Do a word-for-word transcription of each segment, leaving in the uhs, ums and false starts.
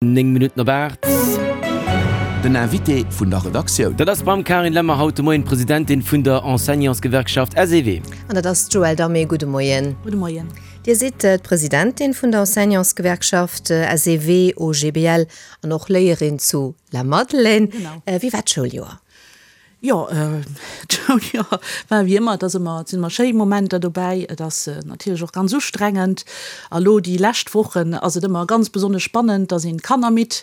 Néng Minutten op aacht. Den Invité vun der Redaktioun. Dat ass d'Madamm Carine Lemmer, haut de Moien d'Presidentin vun der Enseignantsgewerkschaft S E W. An dat ass d'Joëlle Damé. Gudde Moien. Gudde Moien. Dir sidd d'Presidentin vun der Enseignantsgewerkschaft S E W O G B L an och Léierin zu Lamadelaine. Genau. Wéi war d'Schouljoer? Jo, d'Schouljoer war wéi ëmmer, et ass ëmmer, et sinn ëmmer schéi Momenter dobäi, et ass natierlech och ganz ustrengend. A lo déi lescht Wochen ass et ëmmer ganz besonnesch spannend, da sinn d'Kanner midd,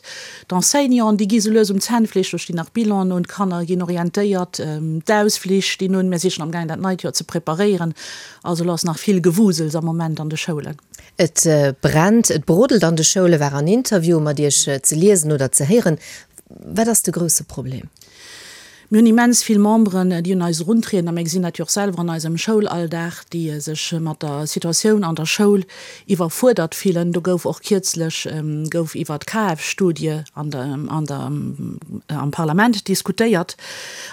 d'Enseignanten, déi gi sou lues um Zännfleesch, do stinn nach Bilanen un, d'Kanner ginn orientéiert, d'Ausflich stinn un, mir si schonn amgaang dat neit Joer ze preparéieren. Also lo ass nach vill Gewusels am Moment an de Schoulen. Et brennt, et brodelt an de Schoule war an Interviewe mat Iech ze liesen oder ze héieren. Wat ass de grousse Problem? Mir hunn immens vill Memberen, déi un eis eruntrieden, a mir gesinn dat jo och selwer an eisem Schoulalldag, déi sech mat der Situatioun an der Schoul iwwerfuerdert fillen. Do gouf och kierzlech gouf iwwer d'K F-Studie an der, an der, am Parlament diskutéiert,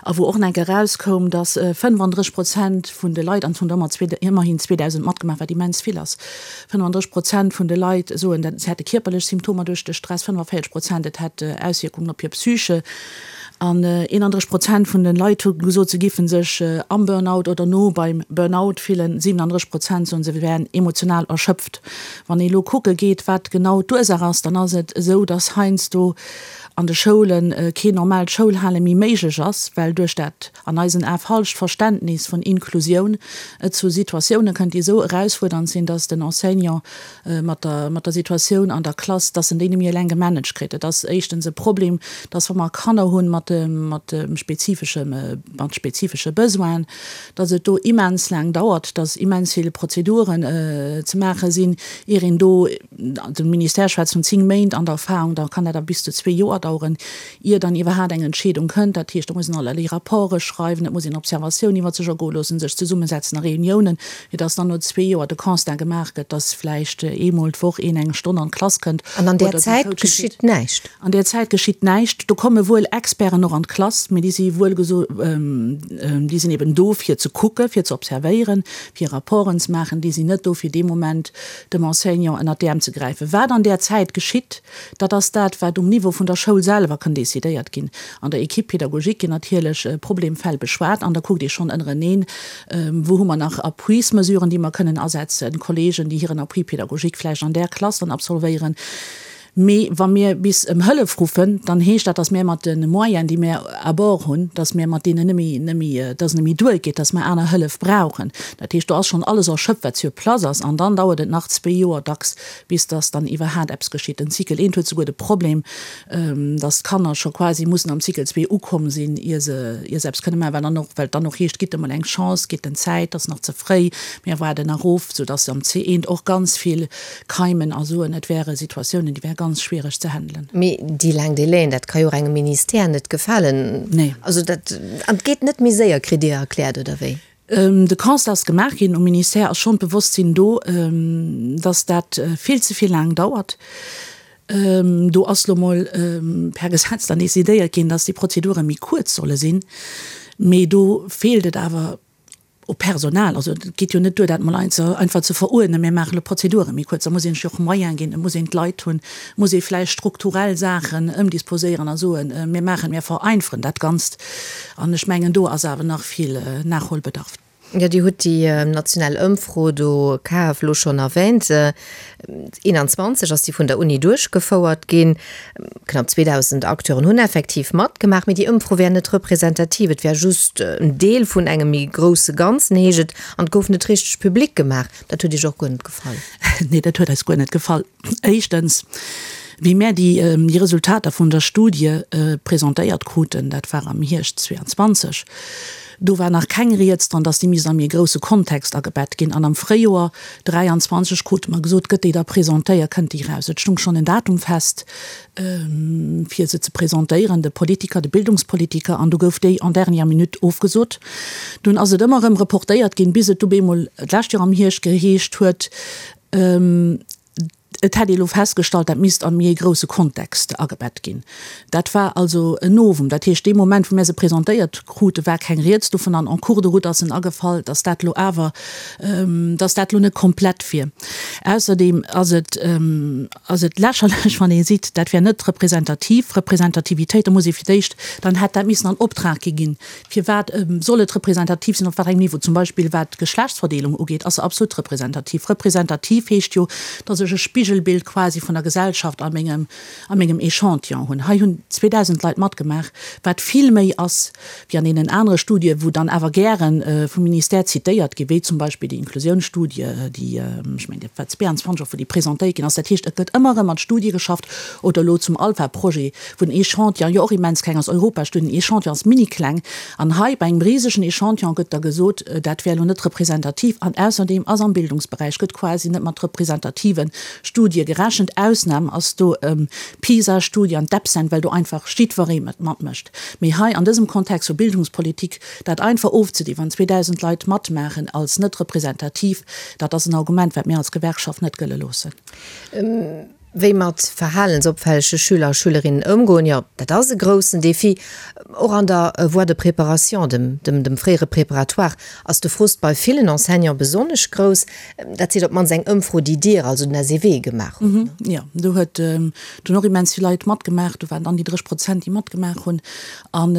a wou och nach eng Kéier erauskoum, dass fënnefandrësseg Prozent vun de Leit, an et hunn der ëmmer ëmmerhin zweedausend matgemaach, wat immens vill ass, fënnefandrësseg Prozent vun de Leit soen, dat se hätte kierperlech Symptomer duerch de Stress, fënnefavierzeg Prozent et hätt Auswierkungen op hir Psyche. An eenandrësseg Prozent vun den Leit hu gesot, se giffen sech am Burnout oder no beim Burnout fillen. siwenandrësseg Prozent soen, se wären emotional erschöpft. Wann ee lo kucke geet, wat genau d'Ursaach ass, dann ass et esou, dass heiansdo an de Schoule keen normaalt Schoulhale méi méiglech ass, well duerch dat an eisen Ae falscht Verständnis vun Inklusioun et zu Situatioune kënnt, déi esou erausfuerdernd sinn, dass den Enseignant mat der mat der Situatioun an der Klass, dass en déi net méi eleng gemanagt kritt. Et ass éischtens e Problem, dass wa mer Kanner hunn mat mat spezifesche mat spezifesche Besoinen, dass et do immens laang dauert, dass immens vill Prozeduren ze maache sinn, ier een do, de Ministère schwätzt vun zéng Méint an der Erfahrung, da kann dat awer bis zu zwee Joer daueren, ier dann iwwerhaapt eng Entscheedung kënnt. Dat heescht, do muss een allerlee Rapporte schreiwen, et muss een Observatioun iwwer sech ergoe loossen, sech zesummesetzen a Reuniounen, fir dass dann no zwee Joer de Constat gemaach gëtt, dass vläicht eemol d'Woch een eng Stonn an d'Klass kënnt An an där oder den Zäit Coaching kritt. Geschitt näischt? An där Zäit geschitt näischt. Do komme wuel Experten och an d'Klass, mee déi si wuel geso déi sinn eben do fir ze kucke, fir ze observéieren, fir Rapporten ze maachen. Déi sinn net do fir dee Moment dem Enseignant ënnert d'Äerm ze gräifen. Wat an där Zäit geschitt, dat ass dat, wat um Niveau vun der Schoul selwer kann decidéiert ginn. An der Équipe pédagogique ginn natierlech Problemfäll beschwat an da kuckt ee schonn ënnereneen, wou hu mer nach Appuismesuren, déi mer kënnen asetzen, Kollegen, déi hiren Appui pédagogique vläicht an där Klass dann absolvéieren. Mee wa mir bis ëm Hëllef ruffen, dann heescht dat, datt mir mat de Moyenen, déi mir à bord hunn, datt mir mat deenen net méi, net méi, datt et net méi duergeet, datt mir aner Hëllef brauchen. Dat heescht, do ass schonn alles erschöpft, wat sur place ass, an dann dauert et nach zwee Joer dacks, bis datt dann iwwerhaat eppes geschitt. Den Cycle eent huet souguer de Problem, datt d'Kanner scho quasi mussen am Cycle zwee ukomm sinn, ier se, ier se eppes kënne maachen, well dann och, well et dann och heescht, gitt emol eng Chance, gitt en Zäit, ass nach ze fréi, mir waarden nach of, soudatt am C eent och ganz vill keimen a soen, et wäre Situatiounen, déi wäre ganz schwiereg ze handelen. Mee déi laang Délaiën, dat ka jo och engem Ministère net gefalen. Nee. Also dat, an et geet net méi séier, kritt Dir erkläert, oder wéi? De Constat ass gemaach ginn, um Ministère ass schonn d'Bewosstsinn do, dass dat vill ze vill laang dauert. Do ass lo mol per Gesetz dann decidéiert ginn, dass déi Prozedure méi kuerz solle sinn. Mee do feelt et awer u Personal. Also et geet jo net duer, dat mol einfach ze veruerdnen, mir maachen elo d'Prozedure méi kuerz. Da muss een sech jo och Moyen ginn, et muss een d'Leit hunn, et muss ee vläicht strukturell Saachen ëmdisposéieren a soen, mir maachen, mir vereinfachen dat Ganzt. An ech mengen, do ass awer nach vill Nachholbedarf. Jo, Dir hutt déi national Ëmfro do, K F, elo schonn erwähnt. eenanzwanzeg ass déi vun der Uni duerchgefouert ginn. Knapp zweedausend Acteuren hunn effektiv matgemaach, mee déi Ëmfro wär net representativ. Et wär just en Deel vun engem méi grousse Ganzen, heescht et, an et gouf net richteg public gemaach. Dat huet Iech och guer net gefall? Nee, dat huet eis guer net gefall. Éischtens, wéi mär déi Resultater vun der Studie presentéiert kruten, dat war am Hierscht zweeanzwanzeg, do war nach keng Rieds dran, dass déi misst am méi grousse Kontext agebett ginn. An am Fréijoer dräianzwanzeg krute mer gesot, gëtt déi da presentéiert, kënnt déi eraus. Et stung schonn en Datum fest, fir se ze presentéieren, de Politiker, de Bildungspolitiker, an du gouf déi en dernière minute ofgesot. Dunn ass et ëmmer erëm reportéiert ginn, bis et du bemol d'lescht Joer am Hierscht geheescht huet, Et hätt ee elo festgestallt, dat misst a méi e grousse Kontext agebett ginn. Dat war also en Novum. Dat heescht, dee Moment, wou mir se presentéiert krute, war keng Rieds dovun an en cours de route ass en agefall, dass dat elo awer, dass dat elo net komplett wier. Ausserdeem ass et, ass et lächerlech, wann ee seet, dat wär net representativ. Representativitéit, da muss ee fir d'éischt, dann hätt dat missen an Optrag gi ginn. Firwat soll et representativ sinn, op wat engem Niveau? Zum Beispill wat d'Geschlechtsverdeelung ugeet, ass se absolut representativ. Representativ heescht jo, dass ech e Spigelbild quasi vun der Gesellschaft a mengem, a mengem Echantillon hunn. Hei hunn zweedausend Leit matgemaach, wat vill méi ass wéi an deenen anere Studien, wou dann awer gäre vum Ministère zitéiert ginn, wéi zum Beispill déi Inklusiounsstudie, déi, ech mengen, dat war zweeanzwanzeg och, wou déi presentéiert ginn ass. Dat heescht, et gëtt ëmmer erëm mat Studie geschafft oder elo zum Alpha-Projet, wou den Echantillon jo och immens kleng ass, Europastudien, den Echantillon ass minikleng. An hei bei engem risegen Echantillon gëtt da gesot, dat wär elo net representativ. An ausserdeem ass am Bildungsberäich gëtt quasi net mat representative Studie gerechent. Ausnam ass do d'PISA-Studie an d'EPSEN, well do einfach jiddweree matmécht. Mee hei an dësem Kontext vu Bildungspolitik dat einfach ofzedinn, wann zweedausend Leit matmaachen, als net representativ, dat ass en Argument, wat mir als Gewerkschaft net gëlle loossen. Wéi mat verhalensopfällege Schüler a Schülerinnen ëmgoen, jo, dat ass e groussen Defi. Och an der Voie de préparation, dem, dem fréiere Préparatoire, ass de Frust bei villen Enseignante besonnesch grouss. Dat seet op d'mannst eng Ëmfro, déi Dir, also den S E W, gemaach hutt. Jo, do huet dunn och immens vill Leit matgemaach. Do waren dann déi dréch Prozent, déi matgemaach hunn. An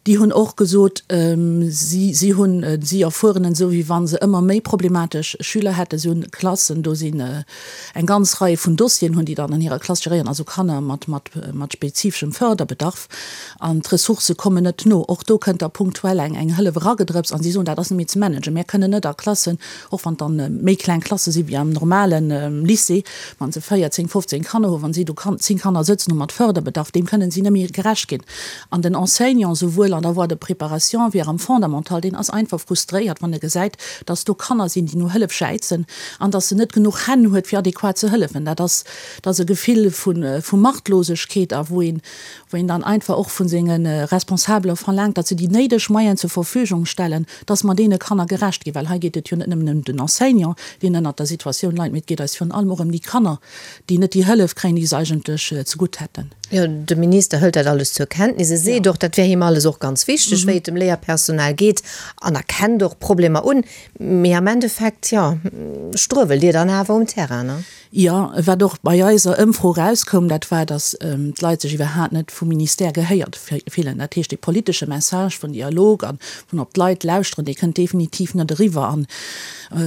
déi hunn och gesot, si, si hunn, si erfueren en esou, wéi wa se ëmmer méi problematesch Schüler hätten. Si hunn Klassen, do sinn eng ganz Rei vun Dossieren hunn déi dann an hirer Klass geréieren, also Kanner mat, mat, mat spezifeschem Förderbedarf. An d'Ressourcë kommen net no. Och do kënnt da punktuell eng, eng Hëllef eragedrëpst an si soen, dat ass net méi ze managen. Mir kënnen net a Klassen, och wann et dann méi kleng Klasse si wéi am normale Lycée, wa se véierzéng, fofzéng Kanner hunn, wa si do zéng Kanner sëtzen hu mat Förderbedarf, deem kënnen si net méi gerecht ginn. An den Enseignant, souwuel an der Voie de préparation wéi och am Fondamental, deen ass einfach frustréiert, wann e gesäit, dass do Kanner sinn, déi no Hëllef jäizen an dass en net genuch Hänn huet, fir adequat ze hëllefen. Dat ass, dat ass e Gefill vu, vu Machtlosegkeet a wou een, wou een dann einfach och vu senge Responsabele verlaangt, datt se déi néideg Moyenen zur Verfügung stellen, dass mer deene Kanner gerecht ginn. Well hei geet et jo net nëmmen ëm den Enseignant, deen ënnert der Situatioun leit, mee et geet eis virun allem och ëm déi Kanner, déi net déi Hëllef kréien, déi se eigentlech zegutt hätten. Jo, de Minister hëlt dat alles zur Kenntnis. E seet och, dat wär him alles och ganz wichteg, wéi et dem Léierpersonal geet, an erkennt och Problemer un. Mee am Endeffekt, jo, struewelt Dir dann awer um Terrain, ne? Jo, wat och bei eiser Ëmfro erauskoum, dat war, datt d'Leit sech iwwerhaapt net vum Ministère gehéiert fillen. Dat heescht, dee politesche Message vun Dialog a vun op d'Leit lauschteren, dee kënnt definitiv net eriwwer. An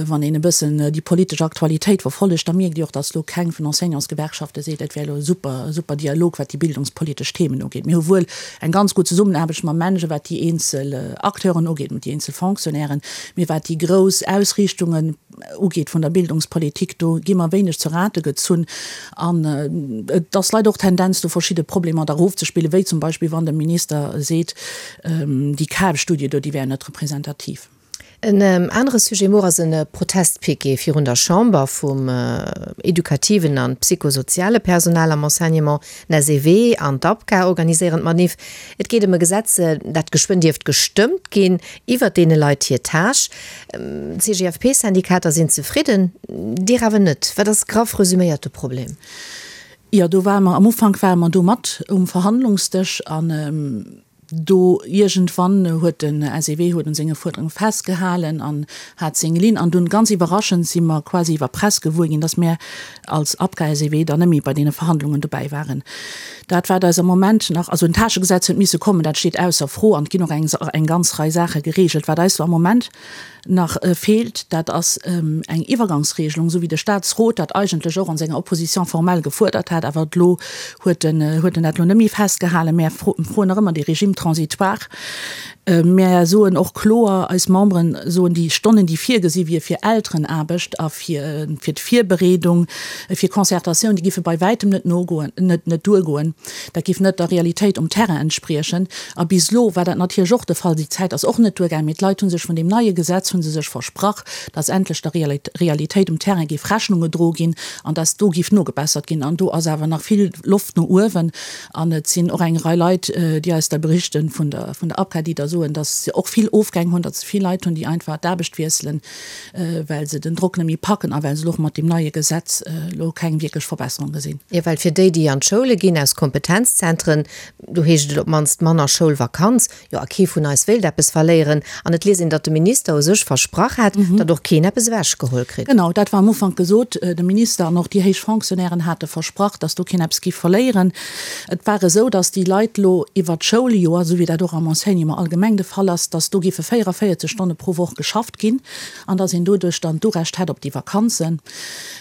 wann een e bëssen déi politesch Aktualitéit verfollegt, da mierkt ee och, datt elo keng vun Enseignantsgewerkschafte seet, et wär elo e super, super Dialog, wat déi bildungspolitesch Themen ugeet. Mir hu wuel eng ganz gutt Zesummenaarbecht mam MENJE, wat déi eenzel Acteuren ugeet, mat déi eenzel Fonctionnairen, mee wat déi grouss Ausriichtungen ugeet vun der Bildungspolitik, do gi mer wéineg zu Rate gezunn. An et ass leider och d'Tendenz do, verschidde Problemer da erofzespillen, wéi zum Beispill wann de Minister seet, déi K F-Studie do, déi wär net representativ. En anere Sujet muer ass e Protestpiquet virun der Chamber vum edukativen an psychosoziale Personal am Enseignement. Den S E W an d'APCA organiséieren d'Manif. Et geet ëm e Gesetz, dat geschwënn dierft gestëmmt ginn, iwwert deene Leit hir Tâche. D'C G F P-Syndikater sinn zefridden, Dir awer net. Wat ass graff resuméiert de Problem? Jo, do ware mer, am Ufank ware mer do mat um Verhandlungsdësch an do iergendwann huet den S E W huet un senge Fuerderunge festgehalen an hat seng Linn. An dunn, ganz iwwerraschend, si mer quasi iwwer Press gewuer ginn, dass mär als APCA-S E W dann net méi bei deene Verhandlungen dobäi waren. Dat wat eis am Moment nach, also en Tâchegesetz huet misse kommen, dat steet ausser Fro an et ginn och eng eng ganz Rei Saache geregelt. Wat eis elo am Moment nach feelt, dat ass eng Iwwergangsregelung, esou wéi de Statsrot dat eigentlech och an senger Opposition formelle gefuerdert hat, awer elo huet en huet en dat elo net méi festgehalen. Mär froen nach ëmmer dee Régime transitoire. Mär soen och kloer, eis Memberen soen, déi Stonnen, déi virgesi wier fir Elterenaarbecht a fir fir d'Virbereedung, fir Concertatioun, déi giffe bei wäitem net nogoen, net net duergoen. Dat géif net der Realitéit um Terrain entspriechen. A bis elo war dat natierlech och de Fall. Déi Zäit ass och net duergaang, mee d'Leit hu sech vun deem neie Gesetz hu se sech versprach, dass endlech der Realitéit um Terrain géif Rechnung gedroe ginn an dass do géif nogebessert ginn. An do ass awer nach vill Loft no uewen. An et sinn och eng Rei Leit, déi eis da berichten, vun der vun der APCA, déi da soen, dass se och vill Ofgäng hunn, datt se vill Leit hunn, déi einfach d'Aarbecht wiesselen, well se den Drock net méi packen a well se elo och mat deem neie Gesetz elo keng wierklech Verbesserung gesinn. Jo, well fir déi, déi an d'Schoule ginn aus Kompetenzzentren, do heescht et op d'mannst manner Schoulvakanz. Jo, a kee vun eis wéilt eppes verléieren. An et liest een, datt de Minister u sech versprach hat, datt och keen eppes ewechgeholl kritt. Genau, dat war am Ufank gesot. De Minister an och déi héich Fonctionnairen hate versprach, datt do keen eppes géif verléieren. Et war esou, datt déi Leit elo iwwert d'Schouljoer, esou wéi dat och am Enseignement allgemeng de Fall ass, datt do géife véierunvéierzeg Stonne pro Woch geschafft ginn an datt een doduerch dann d'Urecht hätt op déi Vakanzen.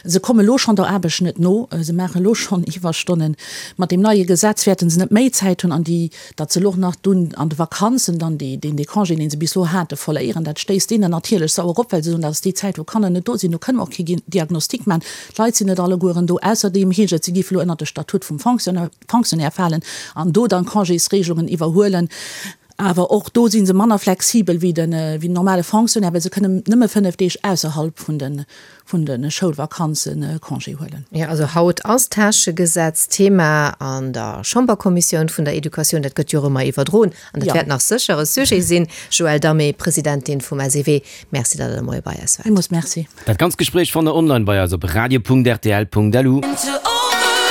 Se komme elo schonn der Aarbecht net no, se maachen elo schonn Iwwerstonnen. Mat deem neie Gesetz wäerte se net méi Zäit hunn an déi, datt se elo och nach dunn an de Vakanzen dann déi, deen dee Congé, dee se bis elo hate, verléieren. Dat stéisst deenen natierlech sauer op, well se soen, dat ass déi Zäit, wou Kanner net do sinn, do kënne mer och kee Diagnostic maachen, d'Leit sinn net allegueren do. Ausserdeem heescht et, se géife elo ënnert de Statut vum Fonctionnaire falen an do dann Congésregelungen iwwerhuelen. Awer och do si se manner flexibel wéi den normale Fonctionnaire, well se kënnen nëmme fënnef Deeg ausserhalb vun de vun de Schoulvakanze Congé huelen. Jo, also haut ass d'Täschegesetz Thema an der Chamberkommissioun vun der Educatioun. Dat gëtt jo och ëmmer iwwerdroen an dat wäert nach sécher e Sujet sinn. Joëlle Damé, Presidentin vum SEW, Merci, datt Der de Moie bei eis waart. Villmools Merci. Dat ganzt Gespréich fannt der online bei eis op radio.rtl.lu.